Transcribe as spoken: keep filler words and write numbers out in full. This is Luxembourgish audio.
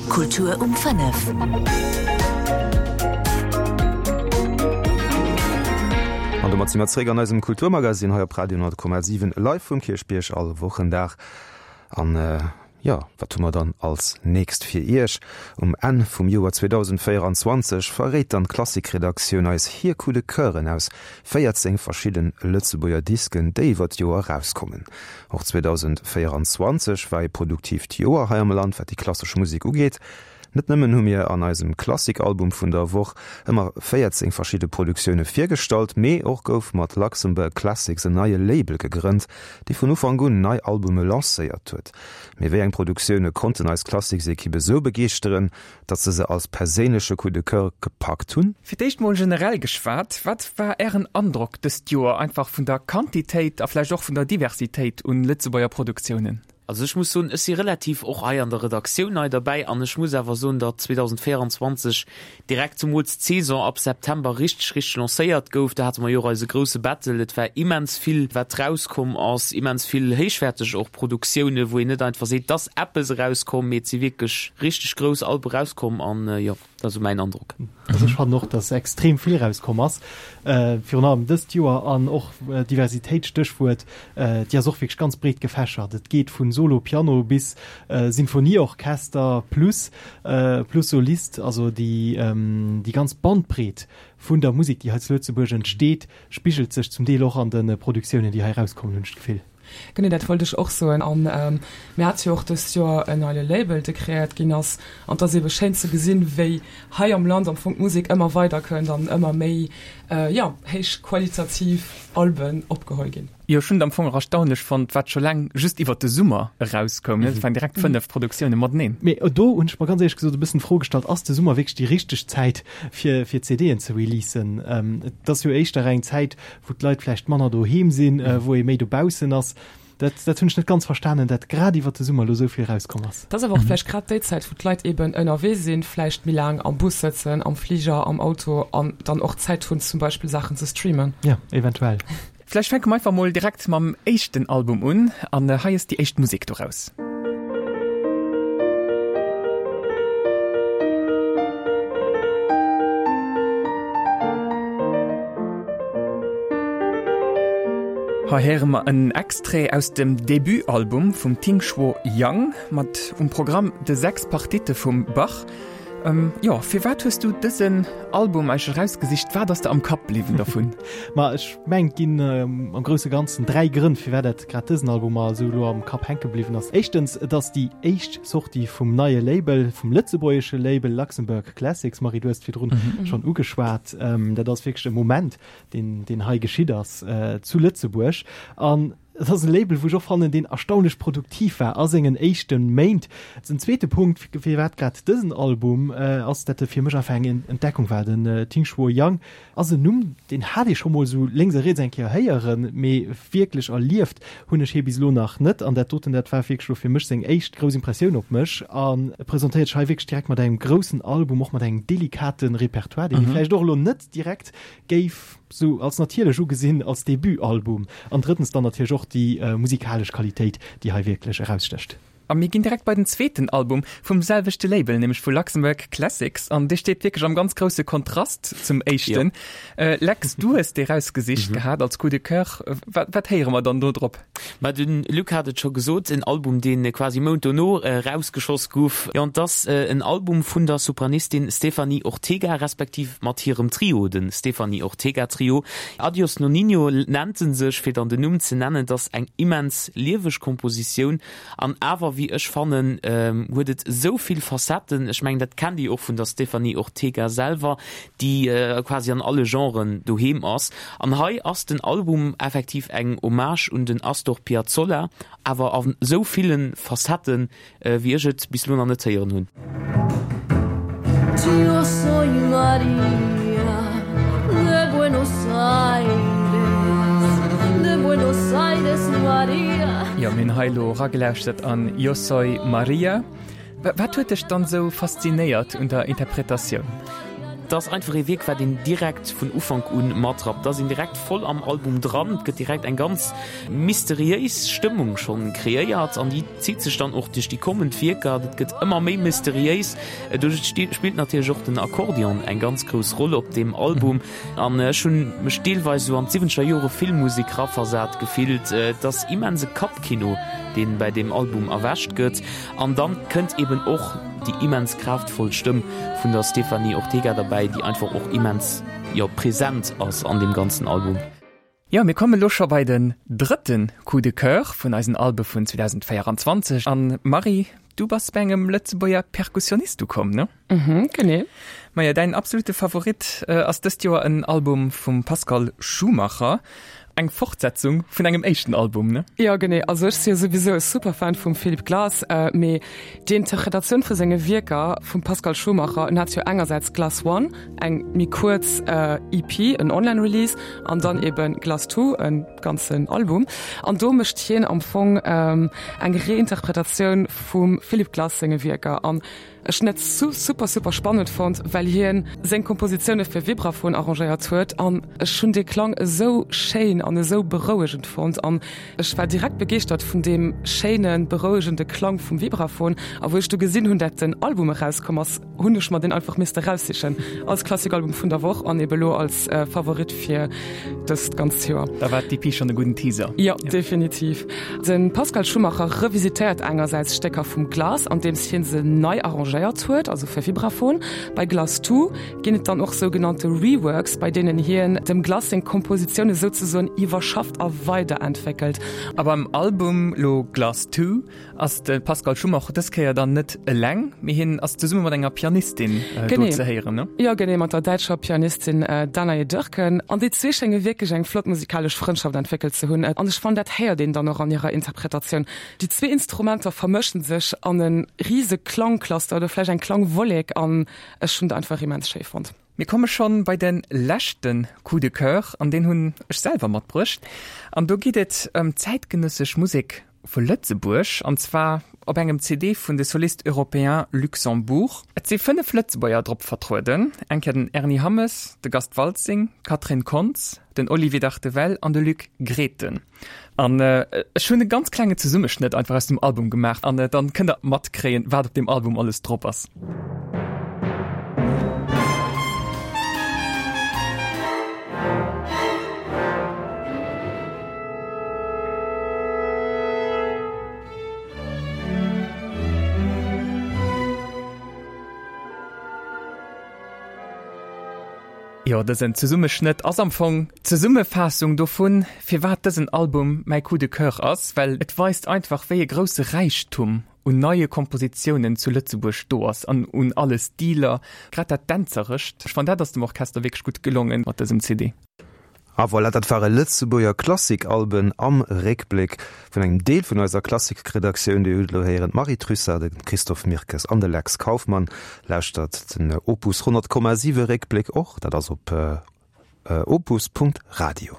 Kultur um fënnef. An domat si mer zeréck an eisem Kulturmagazin hei op Radio honnert Komma siwen live vum Kierchbierg all Wochendag. An jo, wat hu mer dann als nächst fir Iech? Um Enn vum Joer zweedausendvéieranzwanzeg verréit dann d'Klassik-Redaktioun eis hir Coup de Coeuren aus véierzéng verschidden Lëtzebuerger Disken, déi iwwer d'Joer erauskommen. Och zweedausendvéieranzwanzeg war ee produktiivt Joer hei am Land, wat déi klassesch Musek ugeet. Net nëmmen hu mir an eisem Klassik-Album vun der Woch ëmmer véierzéng verschidde Produktioune virgestallt, mee och gouf mat Luxembourg Classics en neie Label gegrënnt, dee vun Ufank un nei Albume lancéiert huet. Mee wéi eng Produktioune konnten eis Klassiks-Ekipp esou begeeschteren, datt se se als perséinleche Coup de Coeur gepackt hunn? Fir d'éischt mol generell geschwat, wat war Ären Androck dëst Joer einfach vun der Quantitéit a vläicht och vun der Diversitéit un Lëtzebuerger Produktiounen? Also ech muss soen, ech si relativ och hei an der Redaktioun nei derbäi an ech muss awer soen, datt zweedausendvéieranzwanzeg direkt zumools d'Saison ab September richteg, richteg lancéiert gouf. Do hate mer jo och eise grousse Battle. Et war immens vill, wat rauskomm ass, immens vill héichwäerteg och Produktioune, wou een net einfach seet, et ass eppes erauskomm, mee et si wierklech richteg grouss Albe rauskomm an jo. Dat ass esou mäin Androck. Also ech fannen och, dass extrem vill erauskomm ass, virun allem dëst Joer an och Diversitéit, Stéchwuert, déi ass och wierklech ganz breet gefächert. Et geet vu Solo Piano bis Sinfonieorchester plus plus Solist. Also déi déi ganz Bandbreet vun der Musek, déi hei zu Lëtzebuerg entsteet, spigelt sech zum Deel och an de Produktiounen, déi hei erauskommen, hunn ech d'Gefill. Genee dat wollt ech och soen. A mir hate jo och dëst Joer en neie Label, dee kreéiert ginn ass. An et ass eebe schéin ze gesinn, wéi hei am Land am Fong d'Musek ëmmer weider kënnt an ëmmer méi, jo, héich qualitativ Alben opgeholl ginn. Jo, ech hunn et am Fong och erstaunlech fonnt, wat scho laang just iwwert de Summer erauskoum. Et waren direkt fënnef Produktioune mateneen. Mee do hunn ech mer ganz éierlech gesot e bëssen d'Fro gestallt, Ass de Summer wierklech déi richteg Zäit, fir fir C D'en ze releasen? Et ass jo éischter eng Zäit, wou d'Leit vläicht manner doheem sinn, wou ee méi dobaussen ass. Dat, dat hunn ech net ganz verstanen, dat grad iwwer de Summer lo sou vill rauskomm ass. Dat ass awer och vläicht grad déi Zäit, wou d'Leit eben ënnerwee sinn, vläicht méi laang am Bus sëtzen, am Fliger, am Auto an dann och Zäit hunn, zum Beispill Saachen ze streamen. Ja, eventuell. Vläicht fänke mer einfach mol direkt mam éischten Album un an hei ass déi éischt Musek doraus. Hei héiere mer en Extrait aus dem Debutalbum vum Tingshuo Yang mat um Programm de sechs Partite vum Bach. Jo, firwat hues du dësen Album eigentlech erausgesicht? Wat ass der am Kapp bliwwen dervun? Ma ech mengen, et ginn am grousse Ganzen dräi Grënn, firwat dat grad dësen Album mer esou elo am Kapp hänke bliwwen ass. Éischtens, et ass déi éischt Sortie vum neie Label, vum lëtzebuergesche Label Luxembourg Classics. Marie, du hues et virdrun schonn ugeschwat. Dat ass wierklech e Moment, deen, deen hei geschitt ass zu Lëtzebuerg. An et ass e Label, wou ech och fannen, deen erstaunlech produktiv war a sengen éischte Méint. Den zweete Punkt, firwat grad dësen Album, ass, dat e fir mech einfach eng Entdeckung war. Den Tingshuo Yang ass en Numm, deen hat ee scho mol esou lénks a riets eng Kéier héieren, mee wierklech erlieft hunn ech hie bis elo nach net. An dat doten, dat war wierklech elo fir mech seng éischt grouss Impressioun op mech. An e presentéiert sech hei wierklech direkt mat engem groussen Album, och mat engem delikate Repertoire, deen ee vläicht och elo net direkt géif sou als natierlech ugesinn als Debutalbum. An drëttens dann natierlech och déi musikalesch Qualitéit, déi hei wierklech erausstécht. A mir ginn direkt bei den zweeten Album vum selwechte Label, nämlech vu Luxembourg Classics. An dee steet wierklech am ganz grousse Kontrast zum éischten. Lex, du hues dee rausgesicht gehat als Coup de Coeur. Wat, wat héiere mer dann do drop? Ma de Luc hat et scho gesot, en Album, dee quasi Mount dono erausgeschoss gouf. Jo, an et ass en Album vun der Sopranistin Stéphanie Ortega, respektiv mat hirem Trio, de Stéphanie Ortega Trio. Adios Nonino nennt en sech, fir dann den Numm ze nennen. Et ass eng immens lieweg Kompositioun an awer, wéi ech fannen, huet et esou vill Facetten. Ech mengen, dat kennt Dir och vun der Stéphanie Ortega selwer, déi quasi an alle Genren doheem ass. An hei ass den Album effektiv eng Hommage un den Astor Piazzolla, awer a sou ville Facetten, wéi ech et bis elo nach net héieren hunn. Yo soy María de Buenos Aires, de Buenos Aires María. Jo, mir hunn hei elo eragelauschtert an Yo soy María. Wat huet dech dann esou faszinéiert un der Interpretatioun? Et ass einfach ee Wierk, wat een direkt vun Ufank un matrappt. Et ass een direkt voll am Album dran, et gëtt direkt eng ganz mysteriéis Stëmmung schonn kreéiert an déi zitt sech dann och duerch déi kommend Wierker. Et gëtt ëmmer méi mysteriéis. Do spillt natierlech och den Akkordeon eng ganz grouss Roll op deem Album an ech hunn mech deelweis esou an d'siwwenzeger Jore Filmmusek raversat gefillt. Et ass immense Kappkino, deen bäi deem Album erwächt gëtt. An dann kënnt eben och déi immens kraaftvoll Stëmm vun der Stéphanie Ortega derbäi, déi einfach och immens, jo, present ass an deem ganzen Album. Jo, mir kommen elo scho bei den drëtten Coup de Coeur vun eisen Albe vun zweedausendvéierundzwanzeg. An Marie, du bass bei engem Lëtzebuerger Perkussionist ukomm, ne? Mhm, genee. Maja, däin absolute Favorit ass dëst Joer en Album vum Pascal Schumacher. Eng Fortsetzung vun engem éischten Album, ne? Jo, genee. Also ech si jo souwisou e Superfan vum Philip Glass, mee déi Interpretatioun vu senge Wierker vum Pascal Schumacher, en hat jo engersäits Glass One, eng méi kuerz E P, en Online-Release, an dann eben Glass Two, e ganzen Album. An do mécht hien am Fong eng Reinterpretatioun vum Philip Glass senge Wierker. An ech hunn et super super spannend fonnt, well hien seng Kompositioune fir Vibraphon arrangéiert huet an ech hunn dee Klang esou schéin an esou berouegend fonnt an ech war direkt begeeschtert vun deem schéine berouegende Klang vum Vibraphon. A wou ech du gesinn hunn, dat den Album erauskomm ass, hunn ech mer deen einfach misste raussichen als Klassikalbum vun der Woch an ebe lo als Favorit fir dëst ganzt Joer. Da war d'E P schonn e gudden Teaser. Jo, definitiv. De Pascal Schumacher revisitéiert engersäits Stécker vum Glass, andeems hien se nei arrangéiert huet, also fir Vibraphon. Bei Glass Two ginn et dann och sougenannte Reworks, bei deenen hien dem Glass seng Kompositioune souzesoen iwwerschafft a weiderentwéckelt. A beim Album lo Glass Two ass de Pascal Schumacher dës Kéier dann net eleng, mee hien ass zesumme mat enger Pianistin do ze héieren, ne? Jo, genee, mat der däitscher Pianistin Danae Dörken. An déi zwee schénge wierklech eng flott musikalesch Frëndschaft entwéckelt ze hunn. An ech fannen, dat héiert een dann och an hirer Interpretatioun. Déi zwee Instrumenter vermëschen sech an e rise Klangcluster oder vläicht eng Klangwollek an ech hunn dat einfach immens schéi fonnt. Mir komme schonn bei de leschte Coup de Coeur an deen hunn ech selwer matbruecht. An do geet et ëm zäitgenëssesch Musek vu Lëtzebuerg, an zwar op engem C D vun de Solistes Européens Luxembourg. Et si fënnef Lëtzebuerger drop vertrueden, eng Kéier den Ernie Hammes, de Gast Waltzing, d'Catherine Kontz, den Olivier Dartevelle an de Luc Grethen. An ech hunn e ganz klenge Zesummeschnëtt einfach aus dem Album gemaach an dann kënnt der matkréien, wat op deem Album alles drop ass. Jo, dësen Zesummeschnëtt ass am Fong d'Zesummefaassung dovun, firwat dësen Album mäi Coup de Coeur ass, well et weist einfach, wéi e grousse Räichtum un neie Kompositiounen zu Lëtzebuerg do ass an un alle Stiler, grad dat Dänzerescht. Ech fannen, dat ass dem Orchester wierklech gutt gelongen mat dësem C D. A voilà, dat ware Lëtzebuerger Klassikalben am Réckbléck vun engem Deel vun eiser Klassikredaktioun. Dir hutt elo héieren d'Marie Trussart, de Christophe Mirkes an de Lex Kauffmann. Lauschtert den Opus honnert Komma siwe Réckbléck och, dat ass op opus Punkt radio.